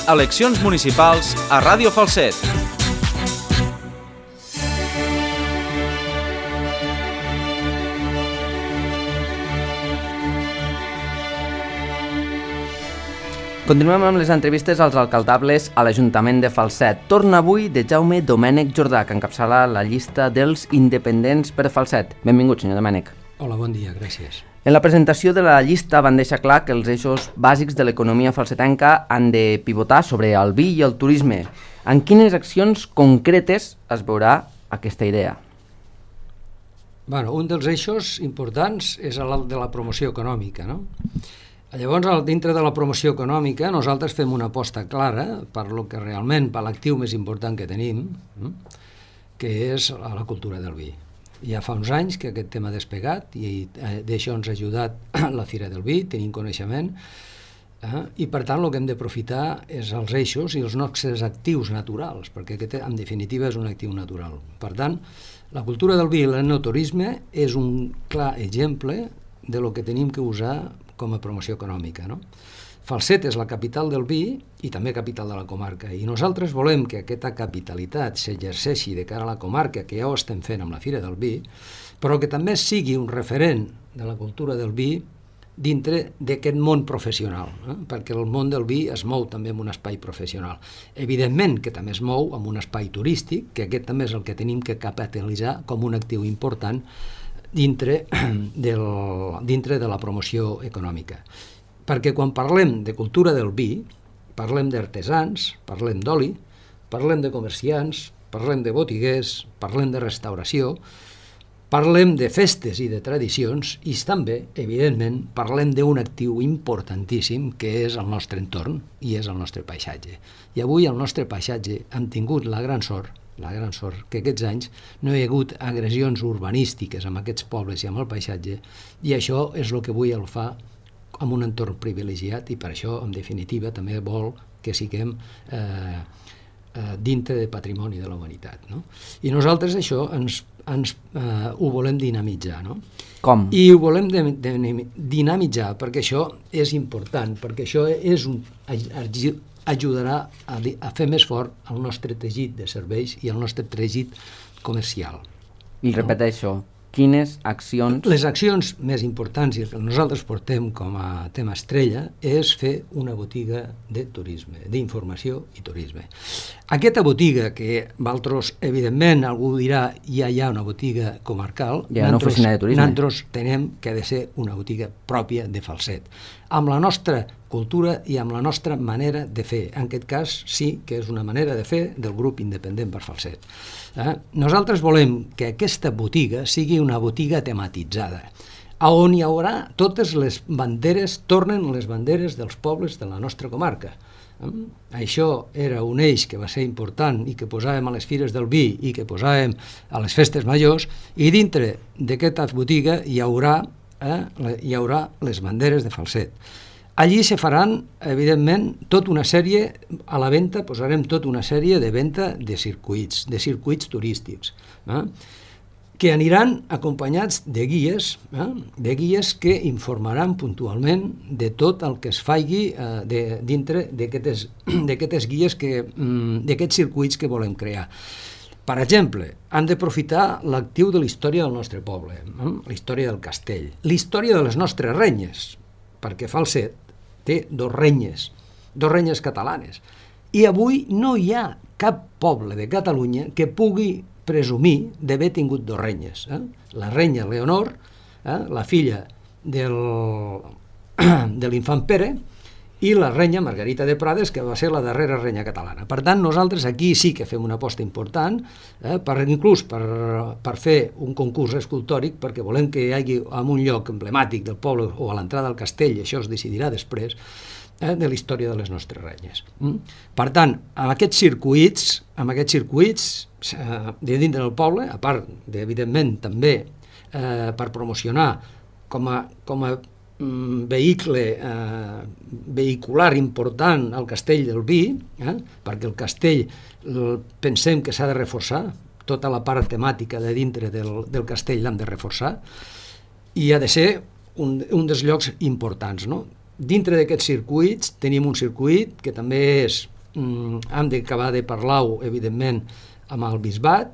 eleccions municipals a Ràdio Falset. Continuem amb les entrevistes als alcaldables a l'Ajuntament de Falset. Torna avui de Jaume Domènec Jordà, que encapçala la llista dels independents per Falset. Benvingut, senyor Domènec. Hola, bon dia, gràcies. En la presentació de la llista van deixar clar que els eixos bàsics de l'economia falsetenca han de pivotar sobre el vi i el turisme. En quines accions concretes es veurà aquesta idea? Un dels eixos importants és el de la promoció econòmica, no? Llavors, dintre de la promoció econòmica, nosaltres fem una aposta clara per lo que realment, per l'actiu més important que tenim, que és la cultura del vi. Ja fa uns anys que aquest tema ha despegat i d'això ens ha ajudat la Fira del Vi, tenim coneixement, i per tant el que hem d'aprofitar és els eixos i els nostres actius naturals, perquè aquest en definitiva és un actiu natural. Per tant, la cultura del vi i l'enoturisme és un clar exemple de lo que tenim que usar com a promoció econòmica, no? Falset és la capital del vi i també capital de la comarca, i nosaltres volem que aquesta capitalitat s'exerceixi de cara a la comarca, que ja ho estem fent amb la Fira del Vi, però que també sigui un referent de la cultura del vi dintre d'aquest món professional, perquè el món del vi es mou també en un espai professional. Evidentment que també es mou en un espai turístic, que aquest també és el que tenim que capitalitzar com un actiu important dintre de la promoció econòmica. Perquè quan parlem de cultura del vi, parlem d'artesans, parlem d'oli, parlem de comerciants, parlem de botiguers, parlem de restauració, parlem de festes i de tradicions i també, evidentment, parlem d'un actiu importantíssim que és el nostre entorn i és el nostre paisatge. I avui el nostre paisatge hem tingut la gran sort que aquests anys no hi ha hagut agressions urbanístiques amb aquests pobles i amb el paisatge, i això és el que avui el fa amb un entorn privilegiat, i per això, en definitiva, també vol que siguem dintre de patrimoni de la humanitat, no? I nosaltres això ho volem dinamitzar, no? Com? I ho volem dinamitzar perquè això és important, perquè això ajudarà a fer més fort el nostre teixit de serveis i el nostre teixit comercial. I repeteixo, quines accions... Les accions més importants i que nosaltres portem com a tema estrella és fer una botiga de turisme, d'informació i turisme. Aquesta botiga, que vosaltres, evidentment, algú dirà ja hi ha una botiga comarcal, hi ha una oficina de turisme. Nosaltres tenem que ha de ser una botiga pròpia de Falset, amb la nostra cultura i amb la nostra manera de fer. En aquest cas sí que és una manera de fer del grup independent per Falset. Nosaltres volem que aquesta botiga sigui una botiga tematitzada, on hi haurà totes les banderes, tornen les banderes dels pobles de la nostra comarca. Això era un eix que va ser important i que posàvem a les fires del vi i que posàvem a les festes majors, i dintre d'aquesta botiga hi haurà les banderes de Falset. Allí se faran, evidentment, tota una sèrie, a la venda posarem tota una sèrie de venda de circuits turístics, que aniran acompanyats de guies que informaran puntualment de tot el que es faci dintre d'aquestes guies, d'aquests circuits que volem crear. Per exemple, han d'aprofitar l'actiu de la història del nostre poble, la història del castell, la història de les nostres renyes, perquè Falset té dos renyes catalanes, i avui no hi ha cap poble de Catalunya que pugui presumir d'haver tingut dos renyes. La renya Leonor, la filla de l'infant Pere, i la renya Margarita de Prades, que va ser la darrera renya catalana. Per tant, nosaltres aquí sí que fem una aposta important, inclús per fer un concurs escultòric, perquè volem que hi hagi en un lloc emblemàtic del poble o a l'entrada del castell, i això es decidirà després, de la història de les nostres renyes. Per tant, amb aquests circuits de dintre del poble, a part, evidentment, també per promocionar com a vehicular important al castell del vi, perquè el castell pensem que s'ha de reforçar, tota la part temàtica de dintre del castell l'hem de reforçar, i ha de ser un dels llocs importants, no? Dintre d'aquests circuits tenim un circuit que també és hem d'acabar de parlar-ho, evidentment, amb el bisbat,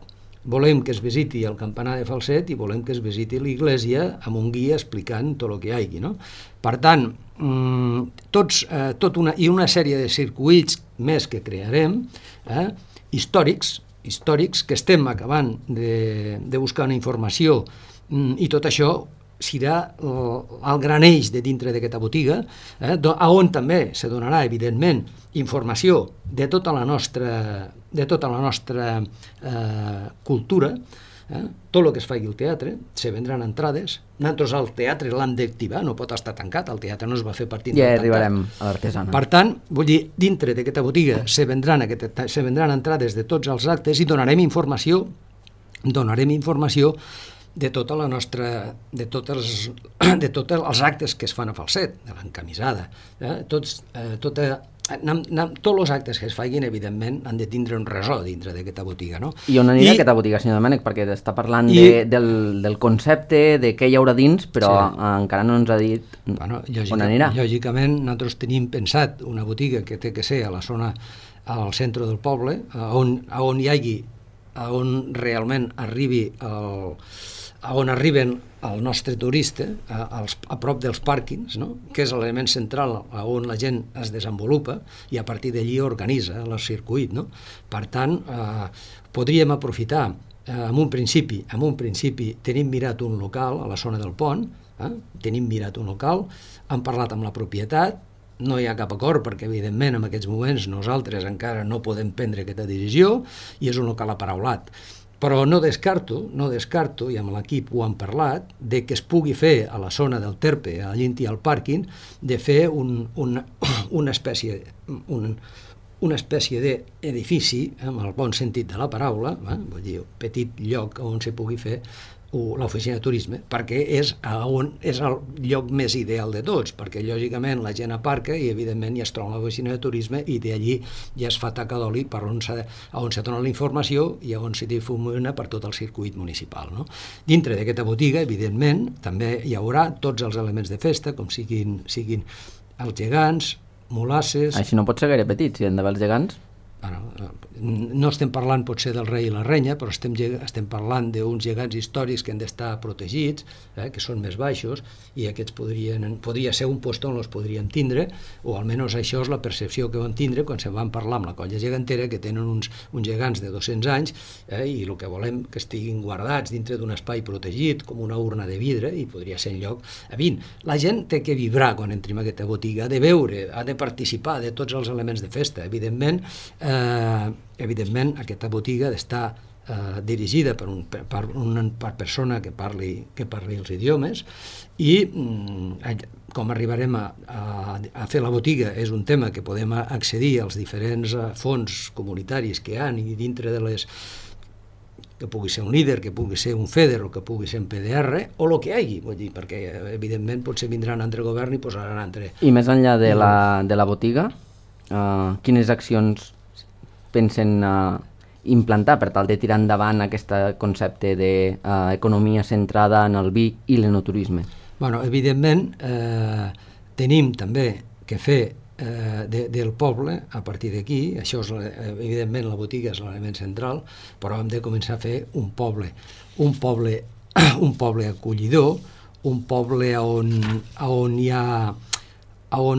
volem que es visiti el campanar de Falset i volem que es visiti l'església amb un guia explicant tot el que hi hagi, no? Per tant, i una sèrie de circuits més que crearem, històrics que estem acabant de buscar una informació, i tot això serà el gran eix de dintre d'aquesta botiga, on també se donarà, evidentment, informació de tota la nostra cultura, tot el que es faci al teatre, se vendran entrades. Nosaltres el teatre l'hem d'activar, no pot estar tancat, el teatre no es va fer per tindre tancat. Ja arribarem a l'artesana. Per tant, vull dir, dintre d'aquesta botiga se vendran entrades de tots els actes i donarem informació de tota la nostra, de tots els actes que es fan a Falset, de l'encamisada, tots els actes que es facin, evidentment, han de tindre un ressò dintre d'aquesta botiga, no? I on anirà aquesta botiga, senyor Domènech? Perquè està parlant del concepte, de què hi haurà dins, però encara no ens ha dit on anirà. Lògicament, nosaltres tenim pensat una botiga que té que ser a la zona, al centre del poble, on hi hagi, on realment on arriben el nostre turista, a prop dels pàrquings, no? Que és l'element central on la gent es desenvolupa i a partir d'allí organitza el circuit, no? Per tant, podríem aprofitar, en un principi tenim mirat un local a la zona del pont, hem parlat amb la propietat, no hi ha cap acord perquè, evidentment, en aquests moments nosaltres encara no podem prendre aquesta decisió i és un local aparaulat. Però no descarto, i amb l'equip ho hem parlat, de que es pugui fer a la zona del Terpe, a Llinti al pàrquing, de fer una espècie d'edifici, amb el bon sentit de la paraula, vull dir, petit lloc on se pugui fer l'oficina de turisme, perquè és el lloc més ideal de tots, perquè lògicament la gent aparca i evidentment ja es troba l'oficina de turisme i d'allí ja es fa taca d'oli per on se dona la informació i on se difumina per tot el circuit municipal, no? Dintre d'aquesta botiga, evidentment, també hi haurà tots els elements de festa, com siguin els gegants, molasses... Així no pot ser gaire petit, si han d'haver els gegants. No estem parlant potser del rei i la renya, però estem parlant d'uns gegants històrics que han d'estar protegits, que són més baixos, i aquests podria ser un lloc on els podríem tindre, o almenys això és la percepció que van tindre quan se van parlar amb la colla gegantera, que tenen uns gegants de 200 anys, i el que volem que estiguin guardats dintre d'un espai protegit, com una urna de vidre, i podria ser en lloc... La gent té que vibrar quan entri en aquesta botiga, ha de veure, ha de participar de tots els elements de festa, evidentment aquesta botiga ha d'estar dirigida per una persona que parli els idiomes i com arribarem a fer la botiga és un tema que podem accedir als diferents fons comunitaris que hi ha i dintre de les que pugui ser un líder, que pugui ser un FEDER o que pugui ser un PDR o el que hi hagi, vull dir, perquè evidentment potser vindran altre govern i posaran altre. I més enllà de la botiga, quines accions pensen implantar per tal de tirar endavant aquest concepte d'economia centrada en el vi i l'enoturisme? Evidentment, tenim també que fer del poble, a partir d'aquí, això és, evidentment, la botiga és l'element central, però hem de començar a fer un poble acollidor, un poble on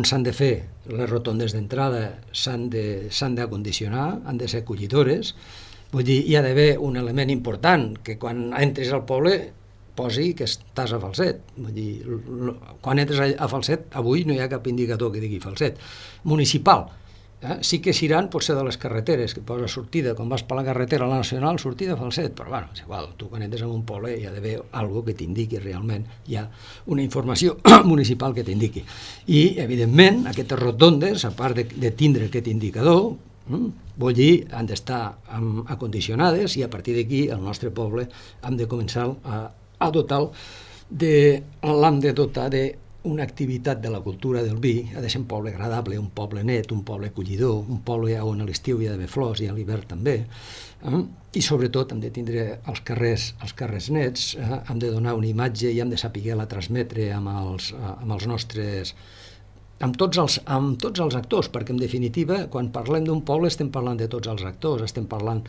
s'han de fer les rotondes d'entrada, s'han d'acondicionar, han de ser acollidores. Vull dir, hi ha d'haver un element important, que quan entris al poble posi que estàs a Falset. Vull dir, quan entres a Falset, avui no hi ha cap indicador que digui Falset. Municipal. Sí que seran potser de les carreteres, que posa sortida, quan vas per la carretera a la Nacional, sortida a Falset, però és igual, tu quan entres en un poble hi ha d'haver alguna que t'indiqui realment, hi ha una informació municipal que t'indiqui. I, evidentment, aquestes rotondes, a part de tindre aquest indicador, vull dir, han d'estar acondicionades i a partir d'aquí, el nostre poble, hem de començar a dotar-lo l'hem de dotar una activitat de la cultura del vi, ha de ser un poble agradable, un poble net, un poble acollidor, un poble on a l'estiu hi ha d'haver flors i a l'hivern també, i sobretot hem de tindre els carrers nets, hem de donar una imatge i hem de saber-la transmetre amb els nostres amb tots els actors, perquè en definitiva quan parlem d'un poble estem parlant de tots els actors, estem parlant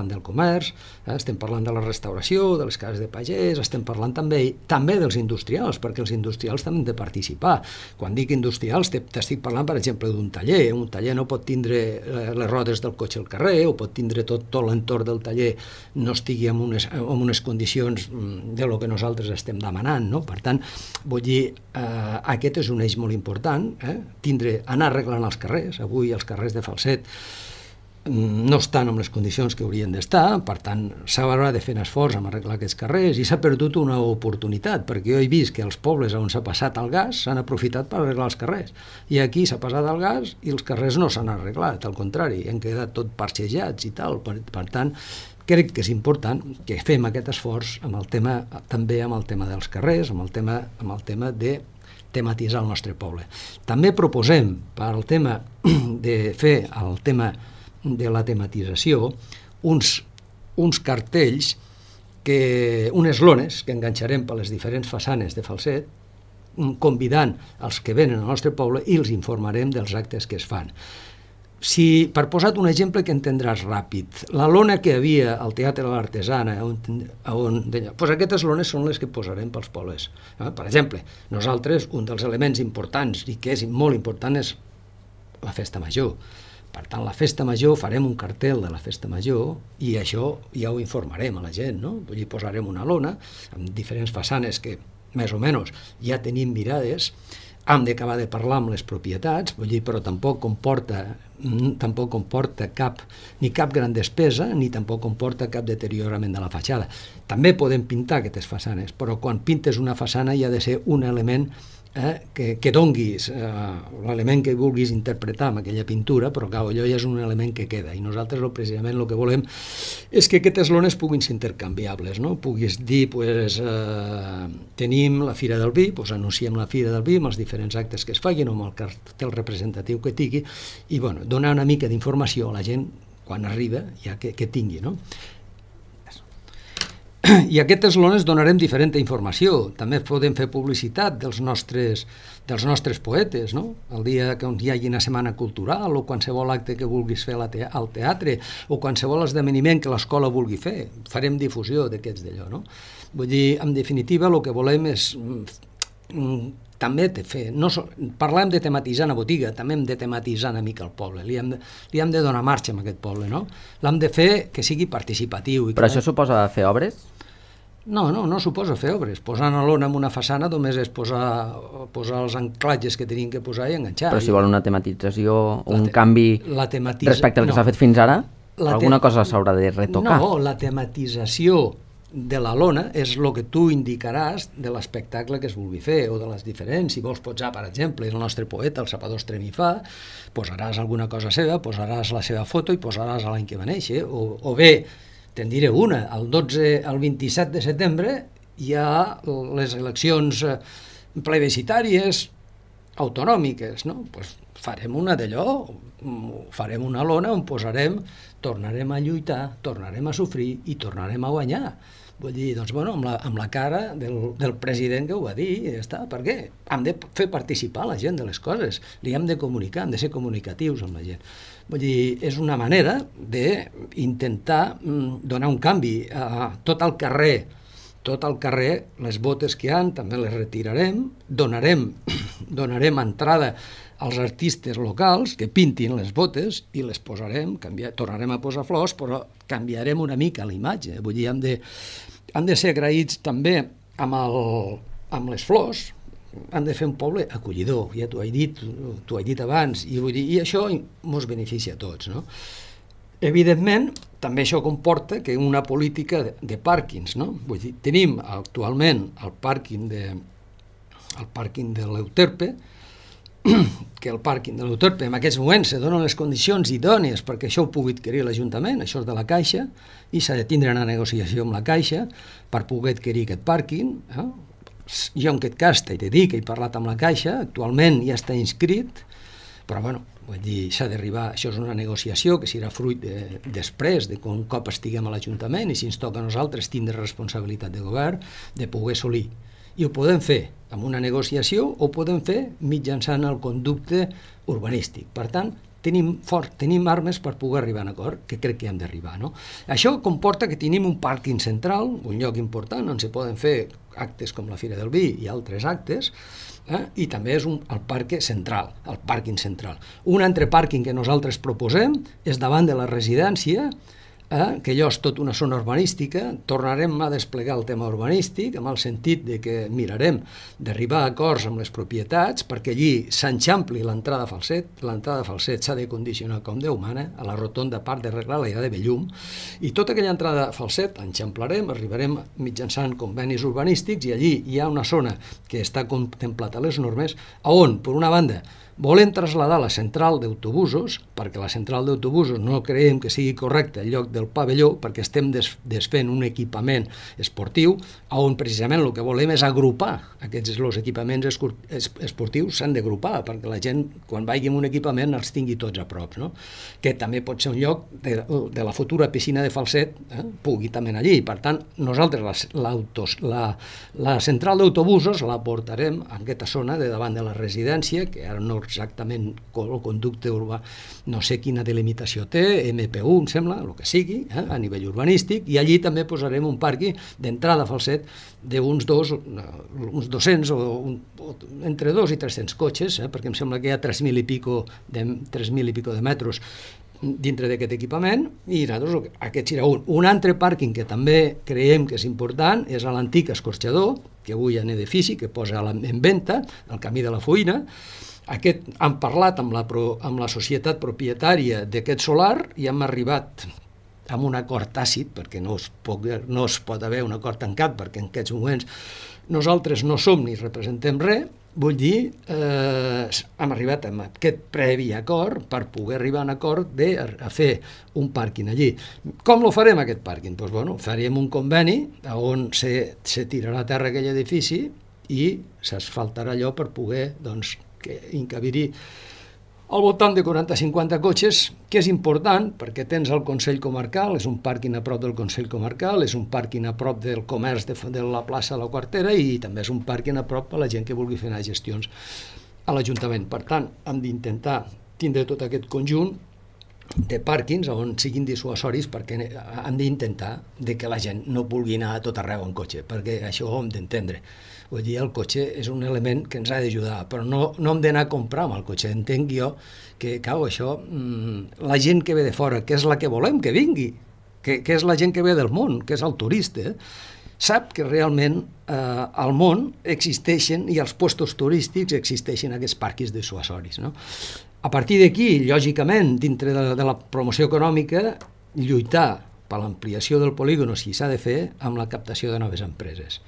del comerç, estem parlant de la restauració, de les cases de pagès, estem parlant també dels industrials, perquè els industrials també han de participar. Quan dic industrials t'estic parlant, per exemple, d'un taller. Un taller no pot tindre les rodes del cotxe al carrer, o pot tindre tot l'entorn del taller no estigui en unes condicions de lo que nosaltres estem demanant, no? Per tant, vull dir, aquest és un eix molt important, anar arreglant els carrers. Avui els carrers de Falset no estan en les condicions que haurien d'estar, per tant s'haurà de fer un esforç en arreglar aquests carrers, i s'ha perdut una oportunitat, perquè jo he vist que els pobles on s'ha passat el gas s'han aprofitat per arreglar els carrers, i aquí s'ha passat el gas i els carrers no s'han arreglat, al contrari, han quedat tot parxejats i tal. Per tant, crec que és important que fem aquest esforç també amb el tema dels carrers, amb el tema de tematitzar el nostre poble. També proposem, per al tema de fer el tema de la tematització, uns cartells, unes lones que enganxarem per les diferents façanes de Falset, convidant els que venen al nostre poble, i els informarem dels actes que es fan. Per posar un exemple que entendràs ràpid, la lona que hi havia al Teatre de l'Artesana, aquestes lones són les que posarem pels pobles. Per exemple, nosaltres, un dels elements importants i que és molt important és la festa major. Per tant, la festa major, farem un cartel de la festa major i això ja ho informarem a la gent, no? Vull dir, posarem una lona amb diferents façanes que, més o menys, ja tenim mirades. Hem d'acabar de parlar amb les propietats, vull dir, però tampoc comporta cap gran despesa, ni tampoc comporta cap deteriorament de la fatxada. També podem pintar aquestes façanes, però quan pintes una façana hi ha de ser un element que donguis l'element que vulguis interpretar amb aquella pintura, però clar, allò ja és un element que queda, i nosaltres precisament el que volem és que aquestes lones puguin ser intercanviables, no? Puguis dir, tenim la Fira del Vi, anunciem la Fira del Vi amb els diferents actes que es facin o amb el cartell representatiu que tingui, i donar una mica d'informació a la gent quan arriba, ja que tingui, no? I a aquestes lones donarem diferent informació. També podem fer publicitat dels nostres poetes, no? El dia que hi hagi una setmana cultural o qualsevol acte que vulguis fer al teatre o qualsevol esdeveniment que l'escola vulgui fer. Farem difusió d'aquests d'allò, no? Vull dir, en definitiva, el que volem és també fer, parlem de tematitzar una botiga, també hem de tematitzar una mica el poble, li hem de donar marxa a aquest poble, no? L'hem de fer que sigui participatiu. Però això suposa fer obres? No suposa fer obres. Posar una lona en una façana només és posar els anclatges que tenim que posar i enganxar. Però si vol una tematització o un canvi respecte al que s'ha fet fins ara, alguna cosa s'haurà de retocar. No, la tematització de la lona és el que tu indicaràs de l'espectacle que es vulgui fer o de les diferents. Si vols posar, per exemple, el nostre poeta, el Sapador Estremifà, posaràs alguna cosa seva, posaràs la seva foto i posaràs l'any que va néixer, o bé, te'n diré una, el 27 de setembre hi ha les eleccions plebiscitàries autonòmiques, no? Pues farem una d'allò, farem una lona on posarem tornarem a lluitar, tornarem a sofrir i tornarem a guanyar. Vull dir, doncs, amb la cara del president que ho va dir, ja està. Per què? Hem de fer participar la gent de les coses, li hem de comunicar, hem de ser comunicatius amb la gent. Vull dir, és una manera d'intentar donar un canvi a tot el carrer, les botes que hi ha, també les retirarem, donarem entrada als artistes locals que pintin les botes i les posarem, tornarem a posar flors, però canviarem una mica la imatge. Vull dir, hem de ser agraïts també amb les flors, hem de fer un poble acollidor, ja t'ho he dit abans, i això ens beneficia a tots, no? Evidentment, també això comporta que una política de pàrquings, no? Vull dir, tenim actualment el pàrquing de l'Euterpe, que el pàrquing de l'Euterpe en aquests moments se donen les condicions idònies perquè això ho pugui adquirir l'Ajuntament, això és de la Caixa, i s'ha de tindre una negociació amb la Caixa per poder adquirir aquest pàrquing. Jo en aquest cas t'he de dir que he parlat amb la Caixa, actualment ja està inscrit, però vull dir, s'ha d'arribar, això és una negociació que serà fruit després de un cop estiguem a l'Ajuntament i si ens toca a nosaltres tindre responsabilitat de govern, de poder assolir. I ho podem fer amb una negociació o ho podem fer mitjançant el conducte urbanístic. Per tant, tenim armes per poder arribar a un acord, que crec que hem d'arribar. No? Això comporta que tenim un pàrquing central, un lloc important on se poden fer actes com la Fira del Vi i altres actes, i també és el pàrquing central. Un altre pàrquing que nosaltres proposem és davant de la residència, que allò és tot una zona urbanística. Tornarem a desplegar el tema urbanístic amb el sentit de que mirarem d'arribar a acords amb les propietats perquè allí s'enxampli l'entrada a Falset. L'entrada a Falset s'ha de condicionar com Déu mana, a la rotonda part d'arreglar la idea de Bellum, i tota aquella entrada a Falset enxamplarem, arribarem mitjançant convenis urbanístics, i allí hi ha una zona que està contemplat a les normes on, per una banda, volem traslladar la central d'autobusos, perquè la central d'autobusos no creiem que sigui correcte en lloc del pavelló, perquè estem desfent un equipament esportiu, on precisament el que volem és agrupar els equipaments esportius, s'han d'agrupar, perquè la gent, quan vagi en un equipament, els tingui tots a prop, no? Que també pot ser un lloc de la futura piscina de Falset, pugui també anar allí. Per tant, nosaltres la central d'autobusos la portarem a aquesta zona de davant de la residència, que ara no exactament el conducte urbà, no sé quina delimitació té, MP1 em sembla, el que sigui, a nivell urbanístic, i allí també posarem un pàrquing d'entrada a Falset d'uns 200 o entre 2 i 300 cotxes, perquè em sembla que hi ha 3.000 i pico de metres dintre d'aquest equipament, i nosaltres aquest serà un altre pàrquing que també creiem que és important, és l'antic escorxador, que avui hi ha un edifici que posa en venda, al camí de la Foïna. Hem parlat amb la societat propietària d'aquest solar i hem arribat amb un acord tàcit, perquè no es pot haver un acord tancat, perquè en aquests moments nosaltres no som ni representem res. Vull dir, hem arribat a aquest previ acord per poder arribar a un acord a fer un pàrquing allí. Com lo farem, aquest pàrquing? Doncs, bueno, faríem un conveni on se tirarà a terra aquell edifici i s'asfaltarà allò per poder, doncs, que encabir-hi al voltant de 40-50 cotxes, que és important perquè tens el Consell Comarcal, és un pàrquing a prop del Consell Comarcal, és un pàrquing a prop del comerç de la plaça de la Quartera, i també és un pàrquing a prop a la gent que vulgui fer anar gestions a l'Ajuntament. Per tant, hem d'intentar tindre tot aquest conjunt de pàrquings on siguin dissuasoris, perquè hem d'intentar que la gent no vulgui anar a tot arreu en cotxe, perquè això ho hem d'entendre. Vull dir, el cotxe és un element que ens ha d'ajudar, però no hem d'anar a comprar amb el cotxe. Entenc jo que, això, la gent que ve de fora, que és la que volem que vingui, que és la gent que ve del món, que és el turista, sap que realment al món existeixen, i als puestos turístics existeixen aquests pàrquings dissuasoris, no? A partir d'aquí, lògicament, dintre de la promoció econòmica, lluitar per l'ampliació del polígon, si s'ha de fer, amb la captació de noves empreses.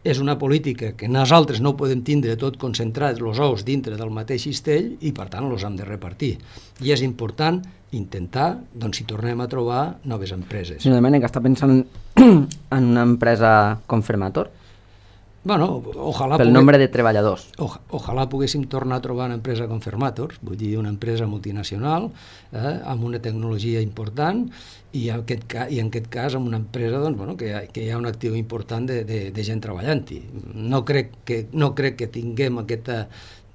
És una política que nosaltres no podem tindre tot concentrat els ous dintre del mateix cistell, i per tant els hem de repartir. I és important intentar, doncs, si tornem a trobar noves empreses. Senyor Domènech, està pensant en una empresa com Fermator? Bueno, pel nombre de treballadors. Ojalà poguéssim tornar a trobar una empresa com Fermator, vull dir, una empresa multinacional, amb una tecnologia important, i en aquest cas amb una empresa, doncs, bueno, que hi ha un actiu important de gent treballant-hi. No crec que tinguem aquesta,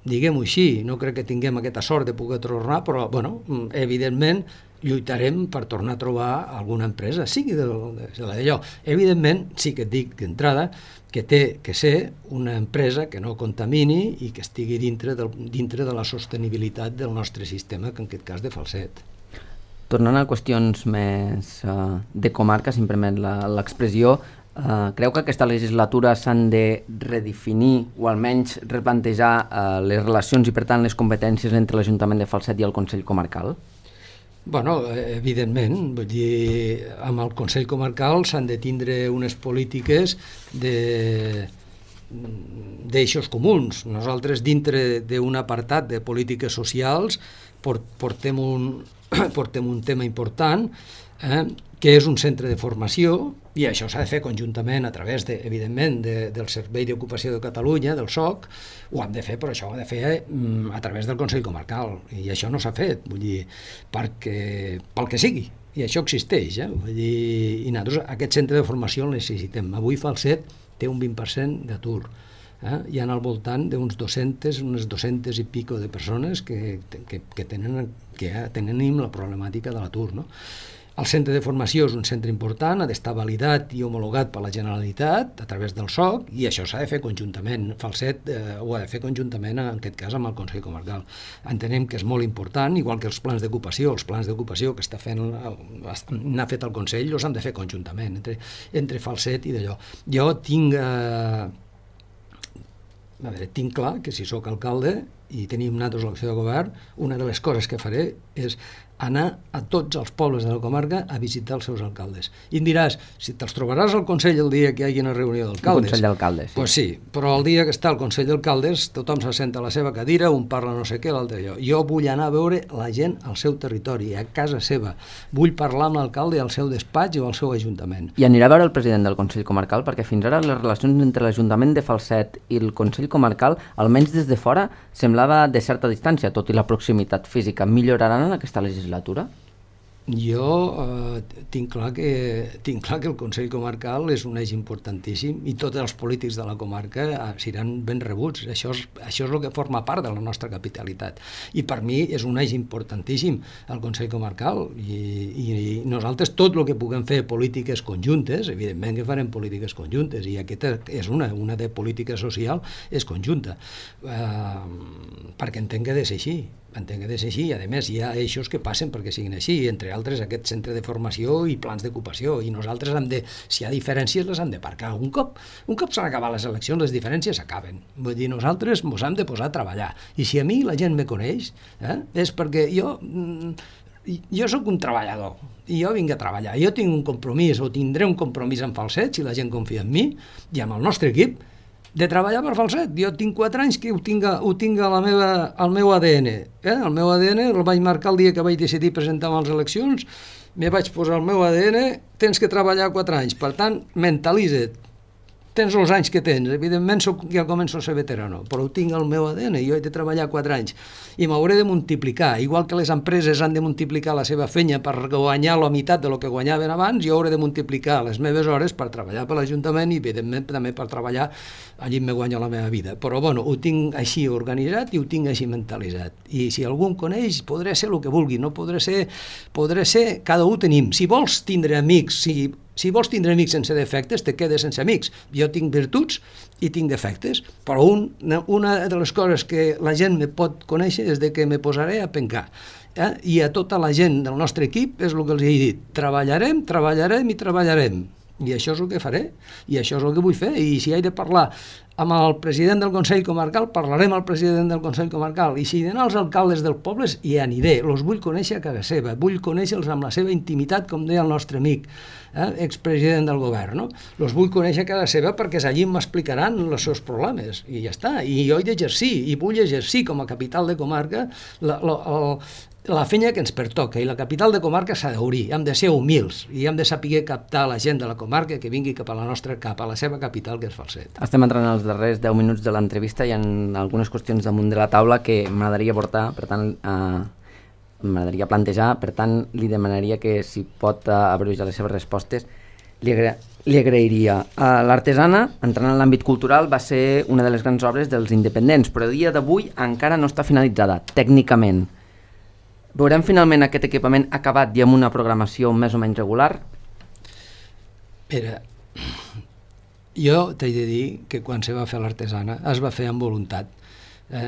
diguem-ho així, no crec que tinguem aquesta sort de poder tornar, però, bueno, evidentment, lluitarem per tornar a trobar alguna empresa, sigui d'allò. Evidentment, sí que et dic d'entrada que té que ser una empresa que no contamini i que estigui dintre de la sostenibilitat del nostre sistema, que en aquest cas de Falset. Tornant a qüestions més de comarca, si em permet l'expressió, creu que aquesta legislatura s'han de redefinir o almenys replantejar les relacions i, per tant, les competències entre l'Ajuntament de Falset i el Consell Comarcal? Bueno, evidentment, vull dir, amb el Consell Comarcal s'han de tindre unes polítiques d'eixos comuns. Nosaltres, dintre d'un apartat de polítiques socials, portem un tema important, que és un centre de formació, i això s'ha de fer conjuntament a través, evidentment, del Servei d'Ocupació de Catalunya, del SOC. Ho hem de fer, però això ho hem de fer a través del Consell Comarcal, i això no s'ha fet, vull dir, pel que sigui, i això existeix, vull dir, i nosaltres aquest centre de formació el necessitem. Avui Falset té un 20% d'atur, Hi ha al voltant d'unes 200 i pico de persones que tenim la problemàtica de l'atur, no? El centre de formació és un centre important, ha d'estar validat i homologat per la Generalitat a través del SOC, i això s'ha de fer conjuntament. Falset ho ha de fer conjuntament, en aquest cas, amb el Consell Comarcal. Entenem que és molt important, igual que els plans d'ocupació que n'ha fet el Consell, els han de fer conjuntament, entre Falset i d'allò. Jo tinc clar que si sóc alcalde i tenim nosaltres l'acció de govern, una de les coses que faré és anar a tots els pobles de la comarca a visitar els seus alcaldes. I em diràs, si te'ls trobaràs al Consell el dia que hi hagi una reunió d'alcaldes. El Consell d'Alcaldes, sí. Pues sí, però el dia que està el Consell d'Alcaldes tothom s'assenta a la seva cadira, un parla no sé què, l'altre allò. Jo vull anar a veure la gent al seu territori, a casa seva. Vull parlar amb l'alcalde al seu despatx o al seu ajuntament. I anirà a veure el president del Consell Comarcal, perquè fins ara les relacions entre l'Ajuntament de Falset i el Consell Comarcal, almenys des de fora, semblava de certa distància, tot i la proximitat física. Milloraran en aquesta legislatura? Jo tinc clar que el Consell Comarcal és un eix importantíssim i tots els polítics de la comarca seran ben rebuts. Això és el que forma part de la nostra capitalitat. I per mi és un eix importantíssim el Consell Comarcal i nosaltres tot el que puguem fer polítiques conjuntes, evidentment que farem polítiques conjuntes, i aquesta és una de política social és conjunta, perquè entenc que ha de ser així. I a més hi ha eixos que passen perquè siguin així, entre altres aquest centre de formació i plans d'ocupació, i nosaltres si hi ha diferències les hem de parcar. Un cop s'han acabat les eleccions, les diferències s'acaben. Vull dir, nosaltres ens hem de posar a treballar, i si a mi la gent me coneix és perquè jo sóc un treballador i jo vinc a treballar, jo tinc un compromís o tindré un compromís amb Falset si la gent confia en mi i amb el nostre equip de treballar per Falset. Jo tinc 4 anys que ho tinc al meu ADN. El meu ADN el vaig marcar el dia que vaig decidir presentar-me a les eleccions, me vaig posar el meu ADN, tens que treballar 4 anys, per tant, mentalitza't. Tens els anys que tens, evidentment ja començo a ser veterano, però ho tinc al meu ADN, jo he de treballar 4 anys i m'hauré de multiplicar, igual que les empreses han de multiplicar la seva feina per guanyar la meitat de lo que guanyaven abans, jo hauré de multiplicar les meves hores per treballar per l'Ajuntament i evidentment també per treballar allí me guanyo la meva vida, però bueno, ho tinc així organitzat i ho tinc així mentalitzat, i si algú em coneix podré ser el que vulgui, no podré ser, cada un tenim, si vols tindre amics, si vols tindre amics sense defectes, te quedes sense amics. Jo tinc virtuts i tinc defectes, però una de les coses que la gent me pot conèixer és de que me posaré a pencar. I a tota la gent del nostre equip és el que els he dit. Treballarem i treballarem. I això és el que faré, i això és el que vull fer, i si he de parlar amb el president del Consell Comarcal, parlarem amb el president del Consell Comarcal, i si he d'anar als alcaldes dels pobles, hi aniré, els vull conèixer a casa seva, vull conèixer-los amb la seva intimitat, com deia el nostre amic, expresident del govern, no? Els vull conèixer a casa seva perquè allí m'explicaran els seus problemes, i ja està, i jo he d'exercir, i vull exercir com a capital de comarca la feina que ens pertoca, i la capital de comarca s'ha d'obrir, hem de ser humils i hem de saber captar la gent de la comarca que vingui cap a la seva capital, que és Falset. Estem entrant als darrers 10 minuts de l'entrevista i hi ha algunes qüestions damunt de la taula que m'agradaria portar, per tant m'agradaria plantejar, per tant li demanaria que si pot abreviar les seves respostes li agrairia. L'Artesana, entrant en l'àmbit cultural, va ser una de les grans obres dels independents, però a dia d'avui encara no està finalitzada, tècnicament. Veurem finalment aquest equipament acabat i amb una programació més o menys regular? Mira, jo t'he de dir que quan se va fer l'Artesana es va fer amb voluntat.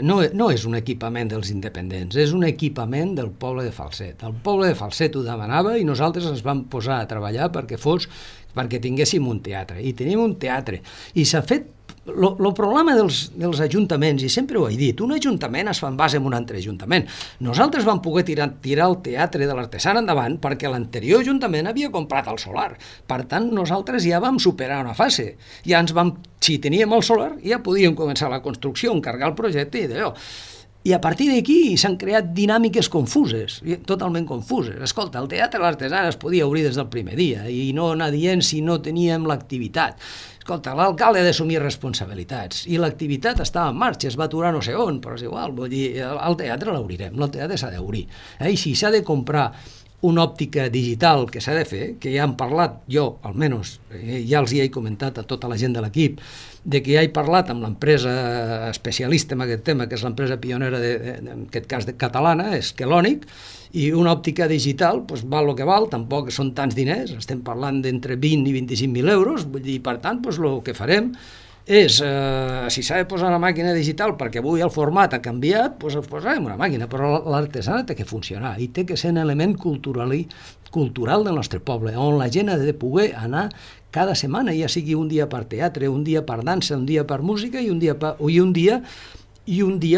No és un equipament dels independents, és un equipament del poble de Falset. El poble de Falset ho demanava i nosaltres ens vam posar a treballar perquè tinguéssim un teatre. I tenim un teatre. I s'ha fet. El problema dels ajuntaments, i sempre ho he dit, un ajuntament es fa en base en un altre ajuntament. Nosaltres vam poder tirar el teatre de l'Artesana endavant perquè l'anterior ajuntament havia comprat el solar. Per tant, nosaltres ja vam superar una fase. Si teníem el solar, ja podíem començar la construcció, encargar el projecte i d'allò. I a partir d'aquí s'han creat dinàmiques confuses, totalment confuses. Escolta, el teatre de l'Artesana es podia obrir des del primer dia i no anar dient si no teníem l'activitat. Escolta, l'alcalde ha d'assumir responsabilitats i l'activitat estava en marxa, es va aturar no sé on, però és igual, vull dir, el teatre l'obrirem, el teatre s'ha d'obrir. I si s'ha de comprar una òptica digital que s'ha de fer, que ja hem parlat, jo almenys, ja els hi he comentat a tota la gent de l'equip, de que ja he parlat amb l'empresa especialista en aquest tema, que és l'empresa pionera, en aquest cas catalana, és Kelonic, i una òptica digital doncs, val el que val, tampoc són tants diners, estem parlant d'entre 20 i 25.000 euros, vull dir, per tant, doncs, el que farem és, si s'ha de posar una màquina digital perquè avui el format ha canviat, doncs posarem una màquina, però l'artesana té que funcionar i té que ser un element cultural del nostre poble, on la gent ha de poder anar cada setmana, ja sigui un dia per teatre, un dia per dansa, un dia per música i un dia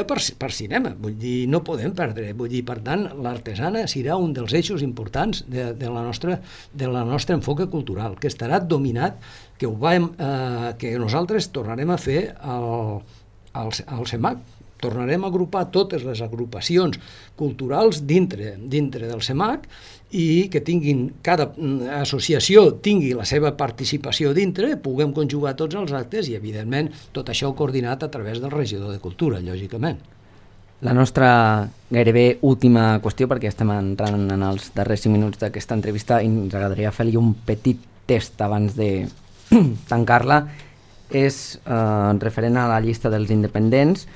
per cinema. Vull dir, no podem perdre. Vull dir, per tant, l'artesana serà un dels eixos importants de la nostra enfoque cultural, que estarà dominat, que nosaltres tornarem a fer al CEMAC. Tornarem a agrupar totes les agrupacions culturals dintre del CEMAC i que cada associació tingui la seva participació dintre, puguem conjugar tots els actes i, evidentment, tot això coordinat a través del regidor de Cultura, lògicament. La nostra gairebé última qüestió, perquè estem entrant en els darrers 5 minuts d'aquesta entrevista i ens agradaria fer-li un petit test abans de tancar-la, és referent a la llista dels independents.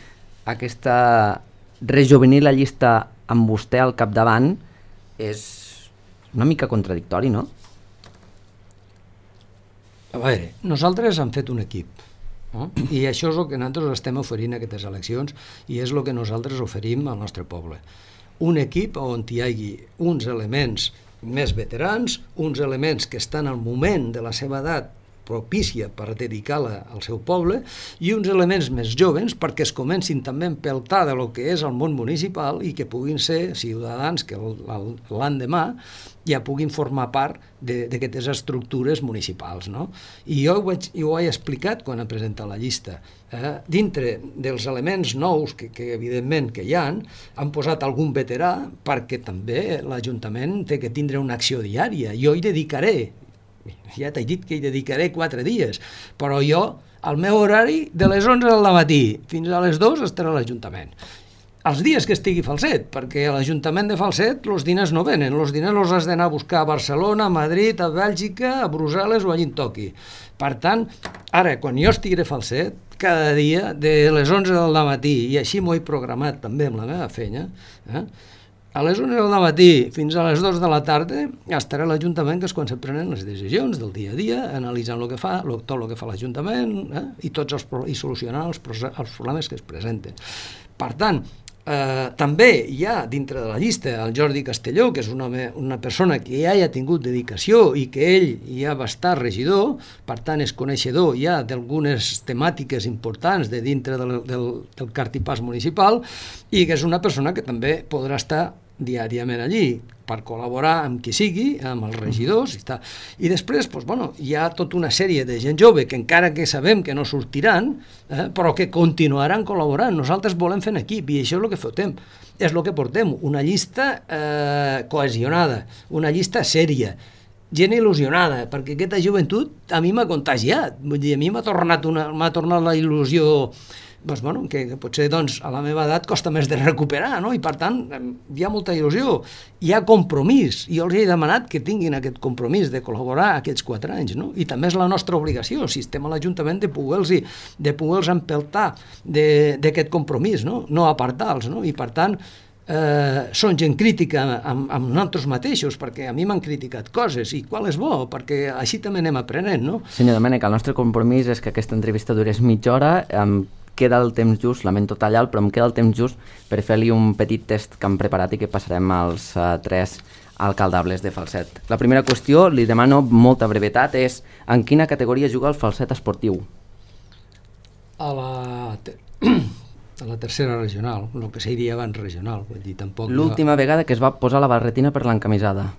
Aquesta rejovenir la llista amb vostè al capdavant és una mica contradictori, no? A veure, nosaltres hem fet un equip, no? I això és el que nosaltres estem oferint a aquestes eleccions i és el que nosaltres oferim al nostre poble. Un equip on hi hagi uns elements més veterans, uns elements que estan al moment de la seva edat propícia per dedicar-la al seu poble i uns elements més joves perquè es comencin també a empeltar de lo que és el món municipal i que puguin ser ciutadans que l'endemà ja puguin formar part d'aquestes estructures municipals, no? I jo ho he explicat quan he presentat la llista. Dintre dels elements nous que evidentment que hi han posat algun veterà perquè també l'Ajuntament té que tindre una acció diària. Jo hi dedicaré, ja t'he dit que hi dedicaré 4 dies, però jo, al meu horari, de les 11 del matí fins a les 2 estaré a l'Ajuntament. Els dies que estigui Falset, perquè a l'Ajuntament de Falset els diners no venen, els diners els has d'anar a buscar a Barcelona, a Madrid, a Bèlgica, a Brussel·les o allí on toqui. Per tant, ara, quan jo estigui a Falset, cada dia, de les 11 del matí, i així m'ho he programat també amb la meva feina, a les 11 del matí fins a les 2 de la tarda estarà a l'Ajuntament, que és quan se prenen les decisions del dia a dia, analitzant el que fa, tot el que fa l'Ajuntament i solucionant els problemes que es presenten. Per tant, també hi ha dintre de la llista el Jordi Castelló, que és una persona que ja hi ha tingut dedicació i que ell ja va estar regidor, per tant és coneixedor ja d'algunes temàtiques importants de dintre del cartipàs municipal i que és una persona que també podrà estar diàriament allí per col·laborar amb qui sigui, amb els regidors i després hi ha tota una sèrie de gent jove que encara que sabem que no sortiran, però que continuaran col·laborant. Nosaltres volem fer en equip i això és el que fotem, és el que portem, una llista cohesionada, una llista sèria, gent il·lusionada, perquè aquesta joventut a mi m'ha contagiat, vull dir, a mi m'ha tornat la il·lusió que potser a la meva edat costa més de recuperar, no? I per tant hi ha molta il·lusió, hi ha compromís, i jo els he demanat que tinguin aquest compromís de col·laborar aquests 4 anys, no? I també és la nostra obligació, si estem a l'Ajuntament, de poder-los empeltar d'aquest compromís, no apartar-los, no? I per tant són gent crítica amb nosaltres mateixos, perquè a mi m'han criticat coses, i qual és bo, perquè així també anem aprenent, no? Senyor Domènech, el nostre compromís és que aquesta entrevista durés mitja hora, queda el temps just, lamento tallar-lo, però em queda el temps just per fer-li un petit test que hem preparat i que passarem als 3 alcaldables de Falset. La primera qüestió, li demano molta brevetat, és en quina categoria juga el Falset esportiu? A la tercera regional, el que se diria abans regional. L'última vegada que es va posar la barretina per l'encamisada?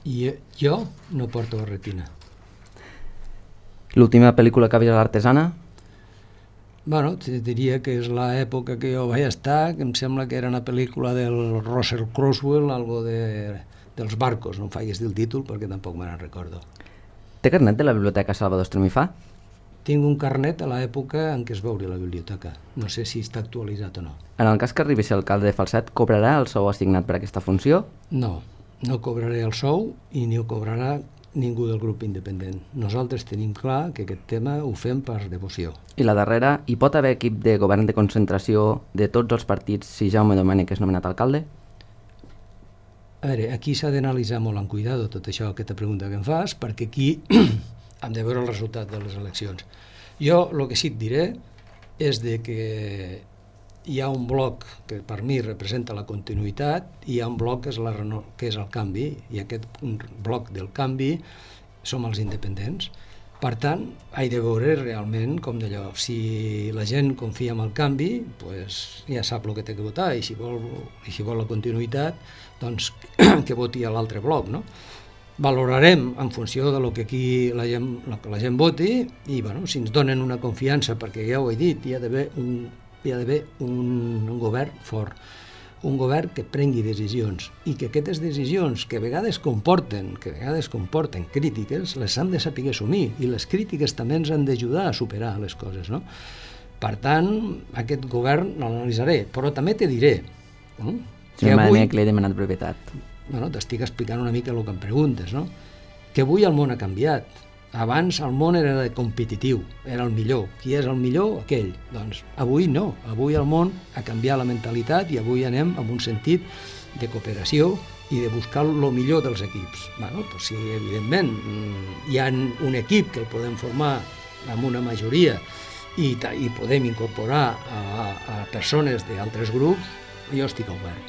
I jo no porto barretina. L'última pel·lícula que ha vist a l'Artesana? Bueno, diria que és l'època que jo vaig estar, que em sembla que era una pel·lícula del Russell Crowe, algo dels barcos, no em faigues dir el títol perquè tampoc me n'en recordo. Té carnet de la Biblioteca Salvador Estremifà? Tinc un carnet a l'època en què es va obrir la biblioteca. No sé si està actualitzat o no. En el cas que arribi a ser alcalde de Falset, cobrarà el sou assignat per aquesta funció? No, no cobraré el sou i ni ho cobrarà ningú del grup independent. Nosaltres tenim clar que aquest tema ho fem per devoció. I la darrera, hi pot haver equip de govern de concentració de tots els partits si Jaume Domènech és nomenat alcalde? A veure, aquí s'ha d'analitzar molt amb cuidado tot això, aquesta pregunta que em fas, perquè aquí hem de veure el resultat de les eleccions. Jo el que sí et diré és de que hi ha un bloc que per mi representa la continuïtat i hi ha un bloc que és el canvi, i aquest bloc del canvi som els independents. Per tant, he de veure realment com d'allò. Si la gent confia en el canvi, pues ja sap el que té que votar, i si vol la continuïtat, doncs que voti a l'altre bloc, no? Valorarem en funció de lo que aquí la gent voti i bueno, si ens donen una confiança, perquè ja ho he dit, hi ha d'haver un govern fort, un govern que prengui decisions i que aquestes decisions que a vegades comporten crítiques, les hem de saber assumir, i les crítiques també ens han d'ajudar a superar les coses, no? Per tant, aquest govern l'analitzaré, però també te diré que avui... que li he demanat brevetat. Bueno, t'estic explicant una mica el que em preguntes, no? Que avui el món ha canviat. Abans el món era competitiu, era el millor. Qui és el millor? Aquell. Doncs avui no. Avui el món ha canviat la mentalitat i avui anem en un sentit de cooperació i de buscar el millor dels equips. Bueno, doncs si evidentment hi ha un equip que el podem formar amb una majoria i podem incorporar a persones d'altres grups, jo estic obert.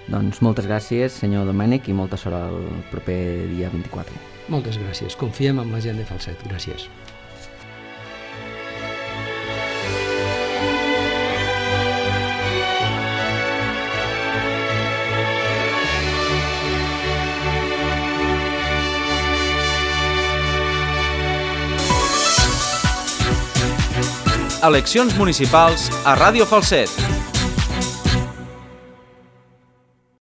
Doncs moltes gràcies, senyor Domènech, i molta sort el proper dia 24. Moltes gràcies. Confiem en la gent de Falset. Gràcies. Eleccions municipals a Ràdio Falset.